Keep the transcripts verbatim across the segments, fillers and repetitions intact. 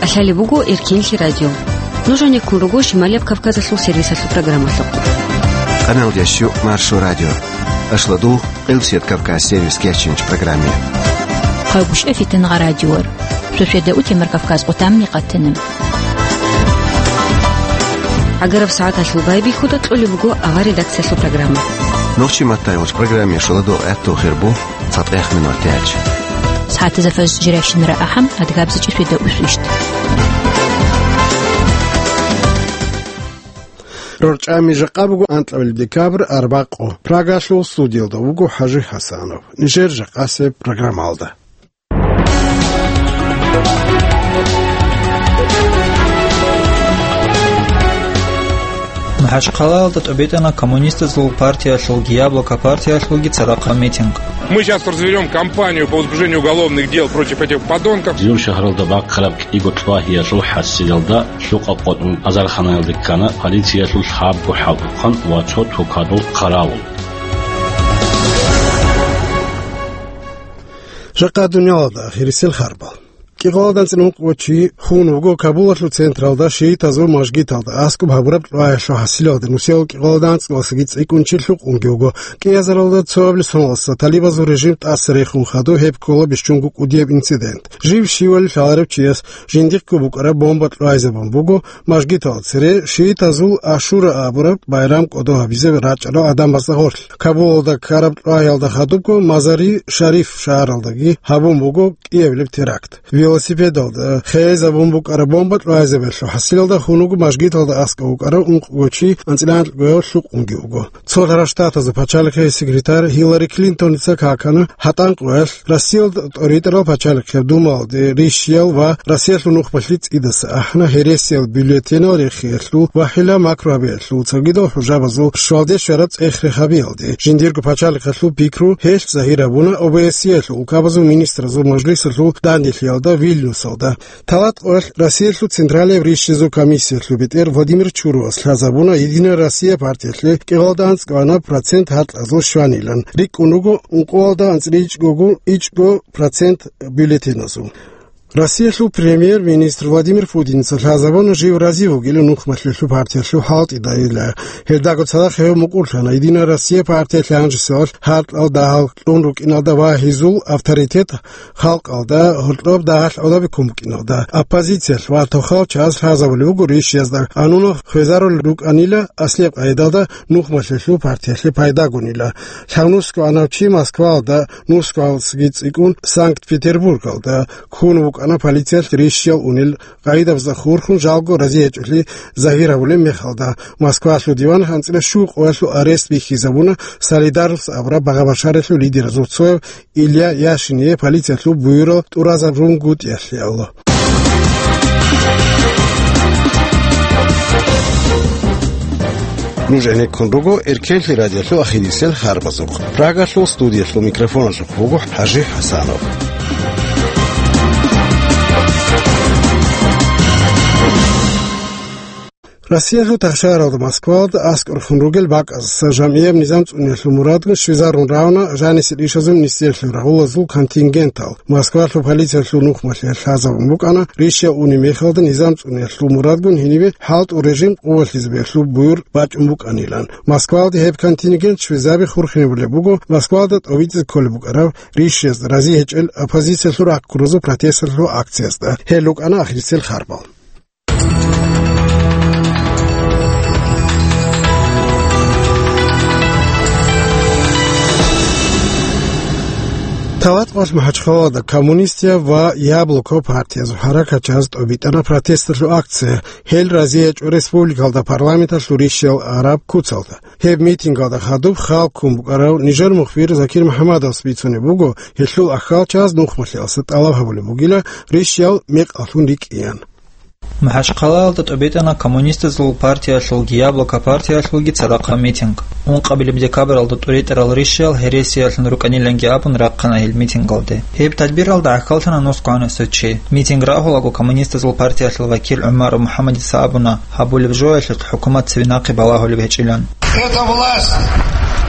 КӀалъалеб буго Эркенлъи радио. Нуж гьанеккун руго Шималияб Кавказалъул сервисалъул программалъухъ. Къаналдящу Маршо радио. Ашладу Къилсият Кавказ сервис кечинч программе. Хъагушев Фитнагъа радиор. Сосиеда утемар Кавказ къутамни къатана. ГӀагараб сагӀаталъул байбихьуда кьолеб буго авар редакциялъул программа. Нохчи маттайгъуч программе шуладу гӀатту хирбу цатӀех минут тяч. СагӀатазда фаз жиращинара ахӀам адгабзичӀи светда усвищт. РорчӀами жакъа буго анкьабилеб декабрь арбакъо. Прагалъул студиялда вуго ХӀажи ХӀасанов. Нижер жакъасеб программалда. МахӀачхъалаялда тӀобитӀана коммунистазул партиялъулги яблоко партиялъулги цадахъ митинг. Мы сейчас разведём кампанию по возбуждению уголовных дел против этих подонков. Жив шагьаралда бахъараб кӀиго лъугьиялъул хӀасилалда лъукъа къотӀун азарханаялде ккана полициялъул лъабго хӀалтӀухъан ва цо тукадул хъаравул. Жакъа дуниялалда ахирисел харбал. КӀикъоялда анцӀила ункъго чи хун вуго Кабулалъул централда шиитазул мажгиталда аскӀоб гьабураб лъугьаялъул хӀасилалда нусиялъул кӀикъоялда анцӀиласаги цӀикӀкӀун чи лъукъунги вуго. КӀиазаралда цоабилеб соналдаса талибазул режим тӀаса рехун хадуб гьеб ккола бищунго кӀудияб инцидент. Жив щивали лъаларев чияс жиндихъго букӀараб бомба лъугьайзабун буго, мажгитал цере шиитазул Ашура абураб байрам кӀодо гьабизе рачӀарал гӀадамазда гъорлъ. Кабулалда ккараб лъугьаялда хадубго Мазари Шариф шагьаралдаги гьабун буго кӀиабилеб теракт. Велосипедалда хейзабун букӀараб бомба лъугьайзабиялъул хӀасилалда хун вуго мажгиталда аскӀов вукӀарав ункъго чи анцӀила анкьго гьев лъукъунги вуго. Цолъарал Штатазул пачалихъе секретарь Хиллари Клинтоница какана гьатӀан къоялъ Россиялда тӀоритӀарал пачалихъеб Думалде рищиял ва Россиялъул нухбалъи цӀидаса ахӀана гьересиял бюллетенал рехиялъул ва хӀила макру гьабиялъул цогидал хӀужабазул щвалде щвараб цӀех-рех гьабиялде. Жиндирго пачалихъалъул пикру гьелъ загьир гьабуна ОБСЕялъул улкабазул министрзабазул мажлисалъул данделъиялда Вильнюсалда. Талат къоялъ Россиялъул Централияб рищизул комиссиялъул бетӀер Владимир Чуровас лъазабуна «Единая Россия» партиялъе кӀикъоялда анцӀго процент гьаркьазул щванилан. РикӀкӀун руго ункъоялда анцӀила ичӀгого ичӀго процент бюллетеназул. Россиялъул премьер-министр Владимир Путиница лъазабуна жив рази вугилан нухмалъулъул партиялъул хӀалтӀидайила. Гьелдаго цадахъ гьев мукӀурлъана «Единая Россия» партиялъе гьанжесевалъ гьаркьал дагьал кьун рукӀиналда ва гьезул авторитет халкъалда гьоркьоб дагьалъ гӀодобе ккун букӀиналда. Оппозициялъ ва тохал чагӀаз лъазабулеб буго рищиязда гӀануна хвезарулел рукӀанила аслияб къайдалда нухмалъулъул партиялъе пайдагунила. Лъабнусго гӀанав чи Москваялда, нусгоялдасаги цӀикӀкӀун Санкт-Петербургалда ккун вукӀана полициялъ рищиял унел къагӀидабазда хурхун жалго рази гьечӀолъи загьир гьабулеб мехалда. Москвалъул диван анцӀила щуго къоялъул арест бихьизабуна «Солидарность» абураб багъа-башараялъул лидеразул цояв Илья Яшиние полициялъул буюрал тӀуразабунгутӀиялъе. Нуж гӀенеккун руго Эркенлъи радиолъул ахирисел харбазухъ. Прагалъул студиялъул микрофоналъухъ вуго ХӀажи ХӀасанов. Россиялъул тахшагьаралда Москвалда аскӀорхун ругел бакӀаздаса жамгӀияб низам цӀуниялъул мурадгун щвезарун равна жанисел ишазул министерствоялъул рагъулазул контингентал. Москвалъул полициялъул нухмалъе лъазабун букӀана, рищиял унеб мехалда низам цӀуниялъул мурадгун гьенибе хӀалтӀул режим къувалъизабиялъул буюр бачӀун букӀанилан. Москвалда гьеб контингент щвезаби хурхинабулеб буго Москвалда тӀобитӀизе кколеб букӀараб рищиязда рази гьечӀел оппозициялъул рахъ гурозул протесталъул акциязда. Гьел рукӀана ахирисел харбал. Талат къоялъ МахӀачхъалада коммунистияб ва Яблоко партиязул хӀаракатчияз тӀобитӀана протесталъул акция. Гьел рази гьечӀо республикалда парламенталъул рищиял араб куцалда. Гьеб митингалда хадуб хал ккун букӀарав нижер мухбир Закир МухӀаммадовас бицунеб буго, гьелъул ахьалчагӀаз нухмалъиялдаса тӀалаб гьабулеб бугила рищиял мекъалъун рикӀкӀиян. МахӀачхъалаялда тӀобитӀана коммунистазул партиялъулги Яблоко партиялъулги цадахъ митинг. Ункъабилеб декабралда тӀуритӀарал рищиял гьересиялъун рукӀаниланги абун рахъана гьел митингалде. Гьеб тадбиралда гӀахьаллъана нусгоанасев чи. Митинг рагьулаго коммунистазул партиялъул вакил ГӀумаров МухӀаммадица абуна, гьабулеб жоялъухъ хӀукумат цебе нахъе балагьулеб гьечӀилан. Эта власть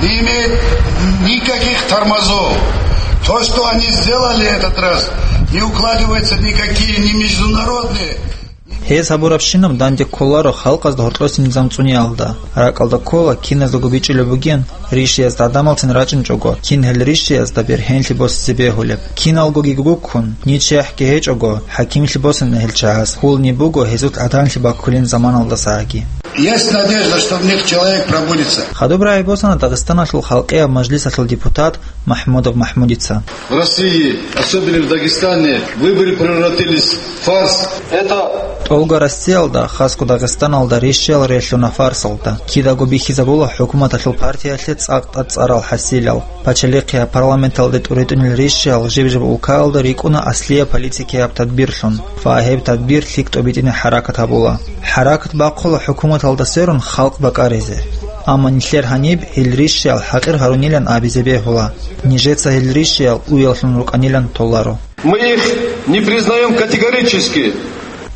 не имеет никаких тормозов. То, что они сделали этот раз, Не укладываются никакие ни международные. Гьез гьабурабщинаб данде кколаро халкъазда гьоркьоса низам цӀуниялда. РакӀалда ккола, киназдаго бичӀчӀулеб бугин, ришиязда гӀадамалцин рачӀинчӀого, кин гьел ришиязда бергьенлъи босизе бегьулеб. Киналгоги гуккун, ничияхӀги гьечӀого, хӀакимлъи босана гьел чагӀаз, хьулни буго гьезул гӀаданлъи баккулин заманалдасаги. Есть надежда, что в них человек пробудится. Хадуб рагӀи босана Дагъистаналъул халкъияб мажлисалъул депутат МахӀмудов МахӀмудица. В России, особенно в Дагестане, выборы превратились в фарс. Это ТӀолго Россиялда, хасго Дагъистаналда ришиял релълъуна фарсалда. Кидаго бихьизабула хӀукуматалъул партиялъе цӀакъ тӀад цӀарал хӀасилал. Пачалихъияб парламенталде тӀуритӀунел ришиял жиб-жиб улкаялда рикӀкӀуна аслияб политикияб тадбирлъун ва гьеб тадбир лъикӀ тӀобитӀине хӀаракат гьабула. ХӀаракат бахъула хӀукуматалда сверун халкъ бакӀаризе. Амма нилъер гьаниб гьел ришиял хӀакъир гьарунилан абизе бегьула. Нижеца гьел ришиял уяллъун рукӀанилан толаро. Мы их не признаем категорически.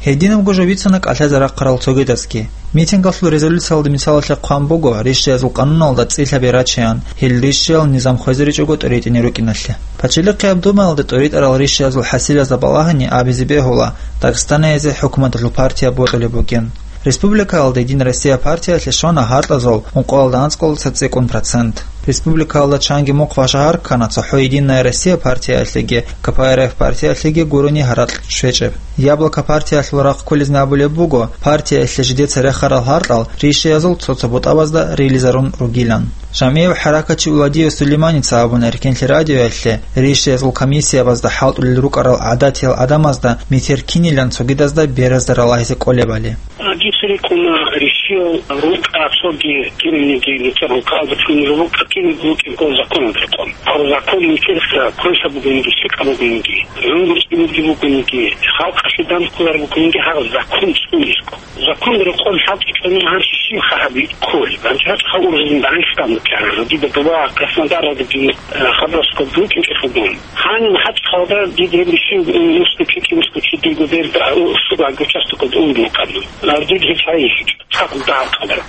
Гьединабго жо бицана кӀалъазе рахъарал цогидазги. Митингалъул резолюциялда мисалалъе хъван буго, ришиязул къануналда цӀи лъабе рачеян, гьел ришиял низам хвезаричӀого тӀуритӀине рукӀиналъе. Пачалихъияб Думаялда тӀуритӀарал ришиязул хӀасилазда балагьани абизе бегьула, Дагъистаназе хӀукуматалъул партия бокьулеб бугин. Республикаялда Единая Россия партиялъе щвана гьаркьазул ункъоялда анцӀкъалдаса цӀикӀкӀун процент. Республикаялда чанги мухъ ва шагьар ккана цохӀо Единая Россия партиялъеги, КПРФ партиялъеги гурони гьаракь щвечӀеб. Яблоко партиялъул рахъ кколезни абулеб буго, партиялъе жидеца рехарал гьаркьал ришиязул цо-цо бутӀабазда рилизарун ругилан. Жамгьияб хӀаракатчи Уладиев Сулейманица абуна Эркенлъи радиоялъе, ришиязул комиссиябазда хӀалтӀулел рукӀарал гӀадатиял гӀадамазда метер кинилан цогидазда беразда ралагьизе кӀолебали. Дица рикӀкӀуна, ришиял рукӀа цоги кинабниги нилъер рукӀалда чӀунел рукӀа кинаб букӀинго законалда рекъон. Гьаб закон нилъеца квеша бугониги, лъикӀаб бугониги, гӀумру цӀинги бугониги, халкъалъе данде кколареб бугониги, гьаб закон цӀунесго. Законалда рекъон хӀалтӀичӀони гьанже щибха гьаб кколеб? Гьанже гьачӀ гьав уразилан Дагъистан букӀараб, дида доба Краснодаралдаги, э, Хабаровскалда рукӀинчӀелъулгун. Гьаниб гьачӀ халда дида гьеб ришин, э, муско чи, муско чи диго берда, э, суга гучасто код уйнукъан. Гьардид гьеб гьайищ. Цадахъ дагьаб къадар.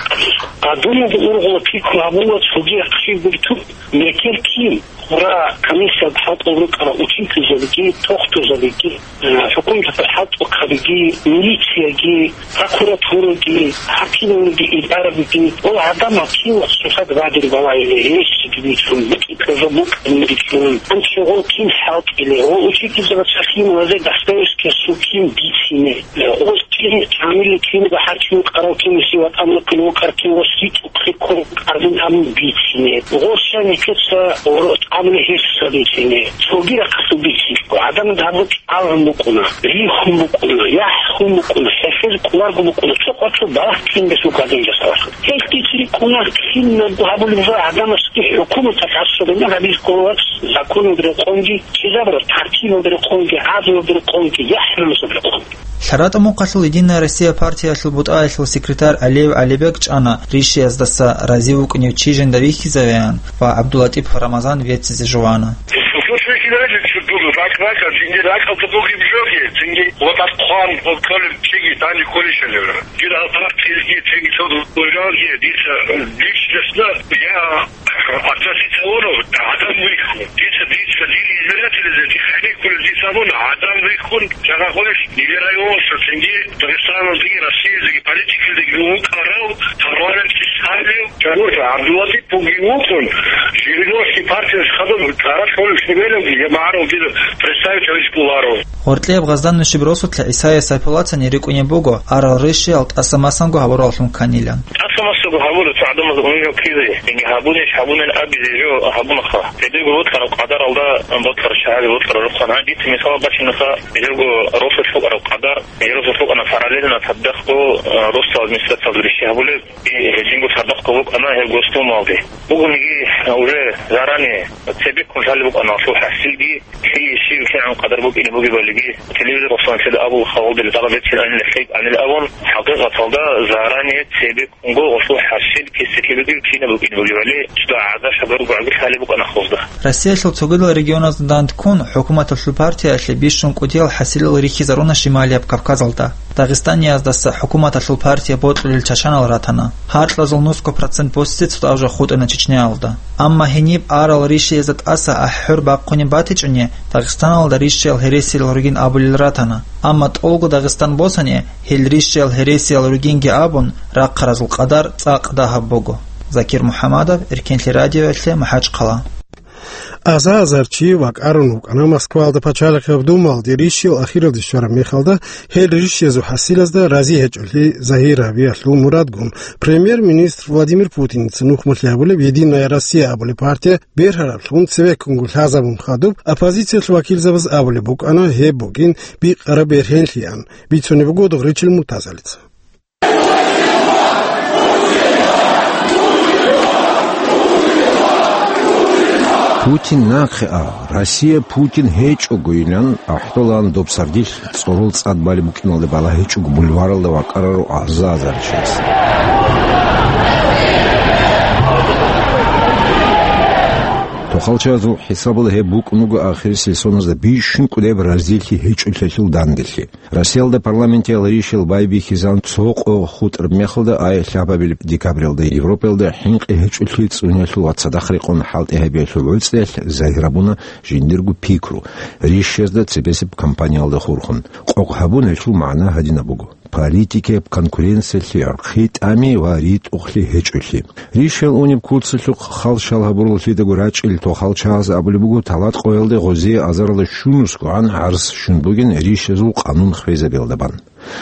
Гьадинаб ургъула пикру гьабула цоги ахир биртун, мекер кин, гъура комиссиялда хӀалтӀул рукӀарал учительзабиги, тохтурзабиги, э, хӀукуматалъул хӀалтӀухъабиги, милицияги, прокуратураги, хӀакималги, идарабиги, ва гӀадамал кин ва цоцазда бадир балайилан гьесиги бицун, букӀин ккезаб букӀин бицун, анцӀго кин хӀалтӀилан, ва учительзабаца кин ва зе Достоевскиясул кин бицине, ва кин камилли кин ва хӀаким къарав кин ва си ватӀан вукӀин вукӀар кин ва си цӀухъи ккун къарбин гьабун бицине, ва щай нилъеца гъоро тӀамни гьесуса бицине, цоги рахъалъул бицинчӀо, гӀадамазда гьаб Алгьун букӀуна, рихун букӀуна, яхӀ хун букӀуна, хӀехьезе кӀоларго букӀуна, цо къватӀив балагь кин бес букӀадин жасалахъ. Гьелъ дица рикӀкӀуна, кинабго гьабулеб жо гӀадамасги хӀукуматалъ гьасулеб гьабизе ккола вац, законалда рекъонги, чӀезабураб тартибалда рекъонги, гӀадлуялда рекъонги, яхӀ-намусалда рекъонги. ЛъаратӀа мухъалъул Единая Россия партиялъул бутӀаялъул секретарь Алиев ГӀалибек чӀана ришияздаса рази вукӀунев чи жинда вихьизавеян ва ГӀабдуллатӀипов Рамазан веццизе жувана. Слушай, Геннадий, что тут так, так, а цинги так, а тут и в жёге, цинги вот так хван, вот коли чиги, тани коли шелевра. Гир алтарак цинги, цинги, что тут в жёге, диса, лично, я относиться вон, адам вихун. Диса, диса, дин избиратель, диса, хник, коли диса вон, адам вихун, жага ходишь, не вераю, что цинги, Дагестаном, цинги, Россия, цинги, политика, цинги, ну, карал, парламент, чисали, чего-то, Абдуллатип, Пугин вукӀун, Жириновский партияс хадуб цӀаралъ гьолеб шимелалги жамагӀаралги представитель кколаро. Гъоркьияб Гъаздан нушиб росулъа ГӀисае Сайпулацани рикӀкӀунеб буго, арал ришиял тӀаса-масанго гьабураллъун кканилан. ТӀаса-масаго гьабула цо гӀадамаз унижал ккезе, яги гьабунищ гьабунин абизе жо гьабунаха. Гьединго бокьараб къадаралда бокьараб шагьаби бокьараб рухъана. Дица мисал бачинаха, жего росулъ букӀараб къадар, жер росулъ букӀана параллельно цадахъго, э, росдал администрациялда риши гьабулеб. И гьединго цадахъго букӀана гьеб Госдумалде. Бугониги, уже заранее цебеккун лъалеб букӀана гьелъул хӀасилги, лъие щиб лъигӀан къадар букӀине бугебалиги, телевизор росулъанлъида абула халалдали тӀалаб бецин анила лъикӀ анил абун, хӀакъикъаталда заранее цебеккунго гьелъул хӀасил кесекебиги лъине букӀине бугебали, цо гӀазаб гьабургогӀаги лъалеб букӀана ахлузда. Россиялъул цогидал регионазда данде ккун, хӀукуматалъул партиялъе бищун кӀудиял хӀасилал рихьизаруна Шималияб Кавказалда. Дагъистанияздаса хӀукуматалъул партия бокьулел чачанал ратана. Гьаркьазул нусго процент босизе цӀутӀав жо хутӀана Чечняялда. Амма гьениб арал ришиязда тӀаса ахӀ-хӀур бахъунеб батичӀони, Дагъистаналда ришиял гьересиял ругин абулел ратана. Амма тӀолго Дагъистан босани, гьел ришиял гьересиял ругинги абун, рахъаразул къадар цӀакъ дагьаб буго. Закир МухӀаммадов, Эркенлъи радиоялъе, МахӀачхъала. Аза-азар чи вакӀарун вукӀана Москваялда пачалихъаб Думалде ришиял ахиралде щвараб мехалда, гьел ришиязул хӀасилазда рази гьечӀолъи загьир гьабиялъул мурадгун, премьер-министр Владимир Путиница нухмалъи гьабулеб «Единая Россия» абулеб партия бергьараблъун цевеккунго лъазабун хадуб, оппозициялъул вакилзабаз абулеб букӀана гьеб бугин бикъараб бергьенлъиан, бицунеб буго Догъричил Муртазалица. Путин нахъе а, Россия Путин гьечӀого, илан ахӀдолаан доб сардилъ цӀорол цӀад балеб букӀиналде балагьичӀого бульваралда вакӀараро аза-азар чияс. Тохалчазул хӀисабалда гьеб букӀун буго ахирисел соназда бищун кӀудеб разилъи гьечӀолъиялъул данделъи. Россиялда парламентиял ришиял байбихьизан цо къо хутӀараб мехалда, ай лъабабилеб декабралда Европаялда хӀинкъи гьечӀолъи цӀуниялъул ва цадахъ рекъон хӀалтӀи гьабиялъул гӀуцӀиялъ загьир гьабуна жиндирго пикру, ришиязда цебесеб кампаниялда хурхун. Къокъ гьабун гьелъул магӀна гьадинаб буго: политикияб конкуренциялъе гӀурхъи тӀами ва ритӀухълъи гьечӀолъи. Ришиял унеб куцалъухъ халщал гьабураллъидаго рачӀил тохалчагӀаз абулеб буго, талат къоялде гъозие азаралда щунусгогӀан гӀарз щун бугин ришиязул къанун хвезабиялда бан.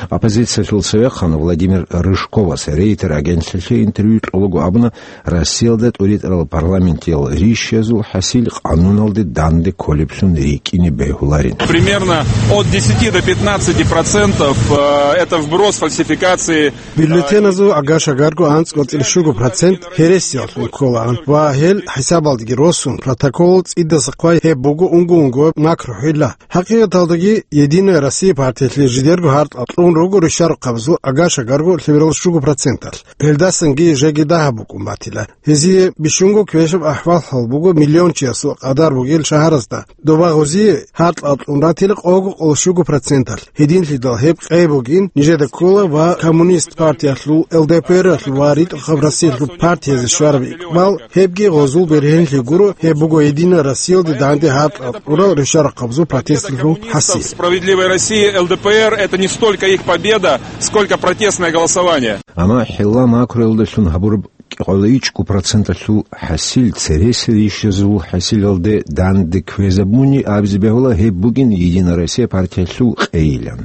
Оппозициялъул цевехъан Владимир Рыжковас Рейтер агентлъалъе интервью кьолаго абуна, Россиялда тӀуритӀарал парламентиял ришиязул хӀасил къануналде данде кколеблъун рикӀкӀине бегьуларин. Примерно от десяти до пятнадцати процентов, э, это вброс фальсификации. Бюллетеназул агашагарго анцӀго цӀилъ щуго процент гьересиялъун кколаан ва гьел хӀисабалдеги росун, протокол цӀидаса хъвай гьеб буго унго-унго макрухӀила. ХӀакъикъаталдаги, «Единая Россия» партиялъе жидерго гьартӀал кьун руго ришарухъабазул агашагарго лъеберал щуго проценталъ. Гьелдасанги жеги дагьаб букӀун батила. Гьезие бищунго квешаб ахӀваллъал буго миллиончиясул къадар бугел шагьаразда. Доба гъозие гьартӀал кьун ратила къого къоло щуго проценталъ. Гьединлъидал гьеб къей бугин нижеда ккола ва Коммунист партиялъул, ЛДПР-алъул ва РитӀухъаб Россиялъул партиязе щвараб икъбал, гьебги гъозул бергьенлъи гуро, гьеб буго «Единая Россиялде» данде гьартӀал кьурал ришарухъабазул протесталъул хӀасил. Справедливой России, ЛДПР, это не столько их победа, сколько протестное голосование. Амма хӀилла макруялдалъун гьабураб кӀикъоялда ичӀго проценталъул хӀасил цересел ришиязул хӀасилалде данде кквезабуни абизе бегьула гьеб бугин «Единая Россия» партиялъул къейилан.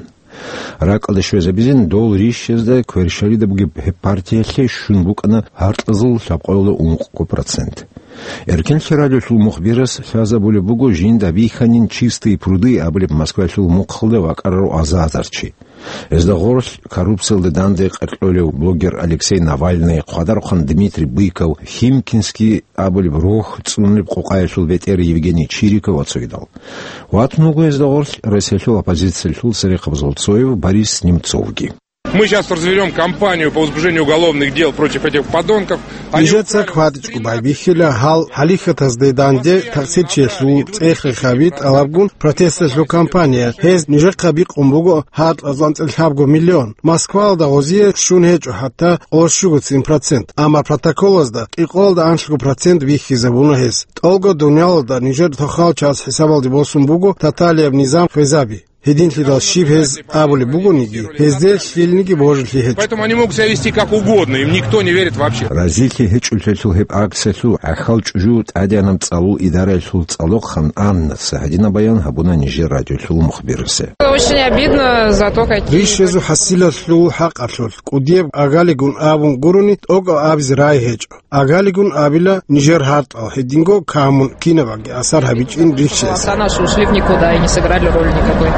РакӀалде щвезабизин, дол ришиязда кверщалида бугеб гьеб партиялъе щун букӀана гьаркьазул лъабкъоялда ункъго процент. Эркенлъи радиолъул мухбирас лъазабулеб буго жинда бихьанин «Чистые пруды» абулеб Москвалъул мухъалда вакӀарарав аза-азар чи. Гьезда гъорлъ коррупциялда данде къеркьолев блогер Алексей Навальный, хъвадарухъан Дмитрий Быков, Химкинский абулеб рогь цӀунулеб къокъаялъул бетӀер Евгений Чириков ва цогидал. Ватун вуго гьезда гъорлъ Россиялъул оппозициялъул церехъабазул цояв Борис Немцовги. Мы сейчас развернём кампанию по возбуждению уголовных дел против этих подонков. Они... Нижеца кватӀичӀго байбихьила гьал хӀалихьатазде данде такъсирчиясул цӀех-рехаби тӀалабгун протесталъул кампания. Гьез нижехъа бикъун буго гьаркьазул анцӀила лъабго миллион. Москвалда гъозие щун гьечӀо хӀатта къоло щуго цин процент. Амма протоколазда кӀикъоялда анлъго процент бихьизабуна гьез. ТӀолго дуниялалда нижер тохал час хӀисабалде босун буго тоталияб низам хвезаби. Гьединлъидал щиб гьез абулеб бугониги, гьезде лъилниги божилъи гьечӀо. Поэтому они могут себя вести как угодно, им никто не верит вообще. Разилъи гьечӀолъиялъул гьеб акциялъул гӀахьал чӀужу тӀадегӀанаб цӀалул идараялъул цӀалохъан Аннаца гьадинаб баян гьабуна нижер радиолъул мухбирасе. Очень обидно за то, какие... Ришезул хӀасилалъул хӀакъалъулъ кӀудияб агалигун абун гурони, тӀокӀав абизе рай гьечӀо. Агалигун абила, нижер гьартӀал гьединго камун кинабаги асар гьабичӀин ришес. Голоса наши ушли в никуда и не сыграли роли никакой.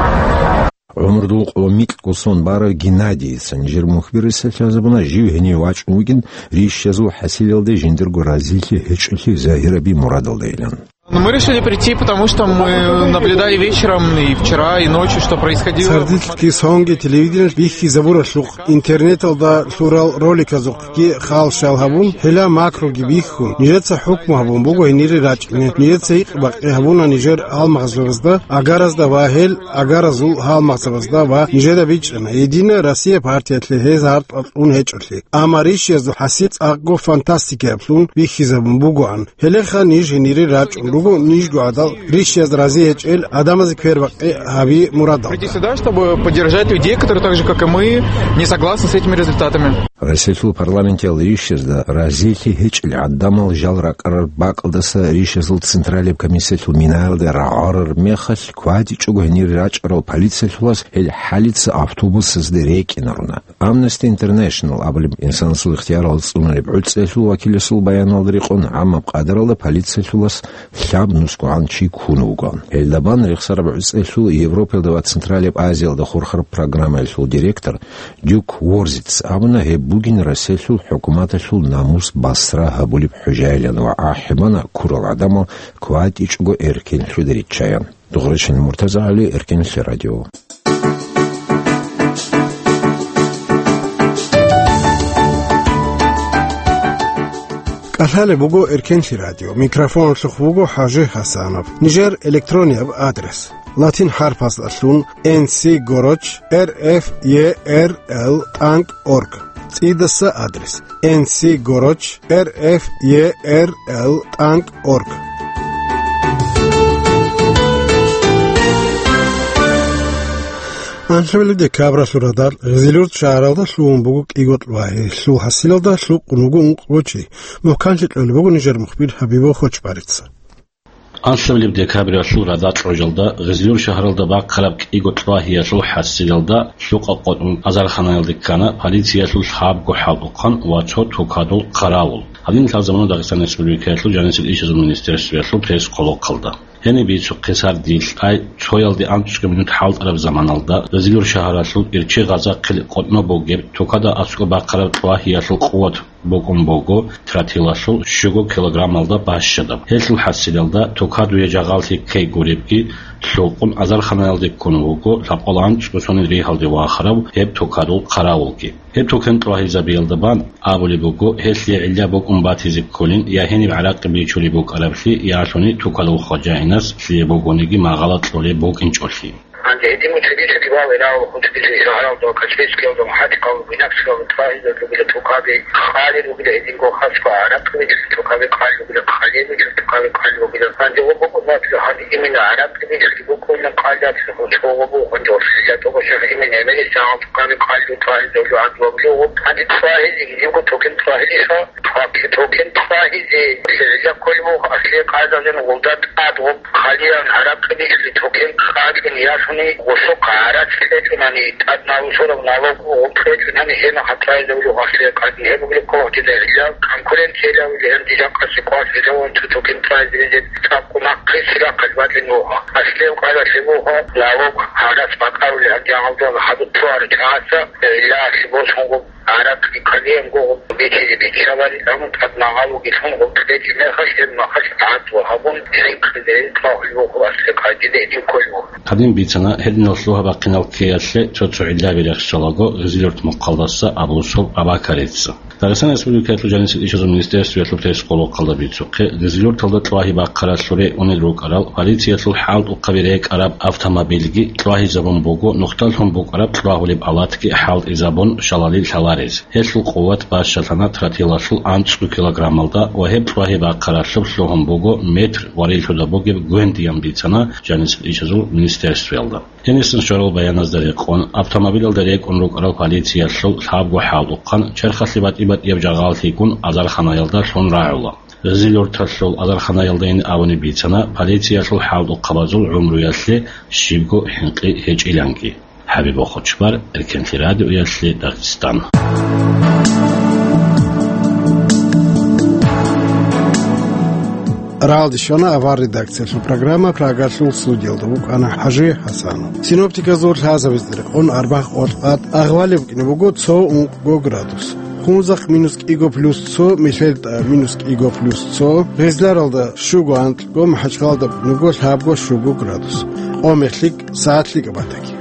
ГӀумру къоло микьго сон барав Геннадийица нижер мухбирасда лъазабуна жив гьенив вачӀун вугин ришазул хӀасилалде жиндирго разилъи гьечӀолъи загьираби мурадалдайилан. Мы решили прийти, потому что мы наблюдали вечером и вчера, и ночью, что происходило. Цардилъги сонги телевидениялъ бихьизабуралъухъ, интернеталда лъурал роликазухъги хал-шал гьабун, гьела макруги бихьун, нижеца хӀукму гьабун буго гьенире рачӀине. Нижеца гьикъ-бакъи гьабуна нижер гьалмагъзабазда, агаразда ва гьел агаразул гьалмагъзабазда ва нижеда бичӀчӀана Единая Россия партиялъе гьез гьартӀал кьун гьечӀолъи. Амма ришиязул хӀасил цӀакъго фантастикаблъун бихьизабун бугоан. Гьелеха ниж гьенире рачӀун руго, нижго гӀадал ришияз рази гьечӀел гӀадамазе квербакъи гьаби мурадалда. Прийти сюда, чтобы поддержать людей, которые так же, как и мы, не согласны с этими результатами. Россиялъул парламенталъ ришиязда разилъи гьечӀел гӀадамал жал ракӀарал бакӀалдаса ришиязул Централияб комиссиялъул минаялде рагӀарар мехалъ, кватӀичӀого гьенире рачӀарал полициялъулас гьел хӀалица автобусазде рекӀинаруна. Amnesty International абулеб инсанасул ихтиярал цӀунареб гӀуцӀиялъул вакиласул баяналда рекъон, гӀаммаб къадаралда полициялъулас лъаб нусгогӀан чи ккун вугоан. Гьелда бан рехсараб гӀуцӀиялъул Европаялда ва Централияб Азиялда хурхараб программаялъул директор Дюк Ворзиц абуна, гьеб бугин Россиялъул хӀукуматалъул намус басра гьабулеб хӀужаилан ва ахӀи бана ккурал гӀадамал кватӀичӀого эркенлъида риччаян. Дугъричан Муртазагьали, Эркенлъи радио. КӀалъалеб буго Эркенлъи радио. Микрофоналъухъ вуго ХӀажи Хасанов. Нижер электронияб адрес: латин хӀарпаздалъун N C гороч R F E R L тӀанкӀ орг. ЦӀидаса адрес: N C гороч R F E R L тӀанкӀ орг. Анлъабилеб декабралъул радал Гъизилюрт шагьаралда лъугьун буго кӀиго кьвагьи, лъул хӀасилалда лъукъун вуго ункъго чи. Мухъканлъи кьолеб буго нижер мухбир Хабибов Хочбарица. Анлъабилеб декабралъул радал кьожалда Гъизилюрт шагьаралда бахъараб кӀиго кьвагьиялъул хӀасилалда лъукъа къотӀун азарханаялде ккана полициялъул лъабго хӀалтӀухъан ва цо тукадул хъаравул. Гьадин лъазабуна Дагъистан Республикаялъул жанисел ишазул министерствоялъул пресс-къолохъалда. Гьениб бицухъе сардилъ ай цоялде анцӀго минут хӀалтӀараб заманалда Гъизилюрт шагьаралъул Ирчи-Гъазахъил къотӀно бугеб тукада аскӀоб бахъараб кьвагьиялъул къуват букӀун буго тротилалъул щуго килограммалда бащадаб. Гьелъул хӀасилалда тукадуе жагъаллъи ккей гуребги лъукъун азарханаялде ккун вуго лъабкъоялда анцӀго сонил ригьалде вахарав гьеб тукадул хъаравулги. Гьеб тукан кьвагьизабиялда бан абулеб буго, гьелъие гӀилла букӀун батизе кколин я гьениб гӀаракъи бичулеб букӀараблъи, ялъуни тукадул хважаинас лъие бугониги магъала кьолеб букӀинчӀолъи. Гьанже гьедин мун чӀеги-чӀеги вал, ирал, хъун чӀеги-чӀеги шагьаралда, Каспийскиялда, МухӀатикъалда, Буйнакскиялда тукаби къалел ругила, гьединго хасго гӀаракъи бичулел тукаби къалел ругила, хъалеб бичулел тукаби къалел ругила. Гьанже гъо букӀун батила, гьанже имина гӀаракъи бичулел букӀуна къалел, цо гъо букӀун, гьанже Орсилида тӀокӀаб шагьар имина Эмелиса гьал тукаби къалел, тукаби гьанже тукаби къалел. Гьанже тукаби гьезиги жинго тукин тукаби гьеша, тукаби тукин тукаби гьези, гьезда кколеб буго аслие къайдалъун гъолда тӀад гъо Хъалиян гӀаракъи бичулел тукин къачӀин яшуни гъосухъ гӀарац кьечӀунани, тӀад налусураб налог гъоб кьечӀунани, гьенахъ тӀайзавулев гъасле къадин гьеб бугеб ккола гьединал гӀилла, конкуренциялъ гьанже жакъасеб къвалъ гьезаван цо тукин тӀайзавизе цӀакъго нахъе цирахъалъ бачӀин вуго. Аслияб къайдалъ буго налог гӀарац бакӀарулел гьанже гьалдула хадуб цо гьаричӀ гӀаса, гӀилла асле босунго. ГӀаракъи кколеб буго бичизе биччаларел, амма тӀад магъало гьелъун гъоркье кьечӀеб мехалъ, гьеб мехалъ гӀадлу гьабун, хӀинкъизе тӀагӀулеб буго, асле къайдиде гьедин кколеб буго. Гьадин бицана, гьединал лъугьа-бахъинал ккеялъе цо-цо гӀиллаби рехсолаго Гъизилюрт мухъалдаса Абусул Абакарица. Дагъистан Республикаялъул жанисел ишазул министерствоялъул пресс-къолохъалда бицухъе, Гъизилюрталда кьвагьи бахъаралъуре унел рукӀарал полициялъул хӀалтӀухъаби рекӀараб автомобильги кьвагьизабун буго, нухда лъун букӀараб кьвагьулеб алатги хӀалтӀизабун шалали лъаларез. Гьелъул къуват бащалъана тротилалъул анцӀго килограммалда ва гьеб кьвагьи бахъаралъуб лъугьун буго метр вариллъуда бугеб гвендиян бицана жанисел ишазул министерствоялда. Гьенисан щварал баяназда рекъон, автомобилалда рекӀун рукӀарал полициялъул лъабго хӀалтӀухъан черхалъе батӀи-батӀияб жагъаллъи ккун азарханаялда лъун рагӀула. Гъизилюрталъул азарханаялдайин абунеб бицана полициялъул хӀалтӀухъабазул гӀумруялъе щибго хӀинкъи гьечӀиланги. ХӀабиб Бохочбар, Эркенлъи радиоялъе Дагъистан. Рагьалде щвана авар редакциялъул программа, Прагалъул студиялда вукӀана ХӀажи ХӀасан. Синоптиказул лъазабиздере къон арбагъ къолъ къад агъвалеб букӀине буго цо ункъго градус. Хунзахъ минус кӀиго плюс цо, Мелъерда минус кӀиго плюс цо, Гъезларалда щуго анкьго, МахӀачхъалада нуго лъабго щуго градус. Къо мехлъи сагӀат лъикӀаб батаги.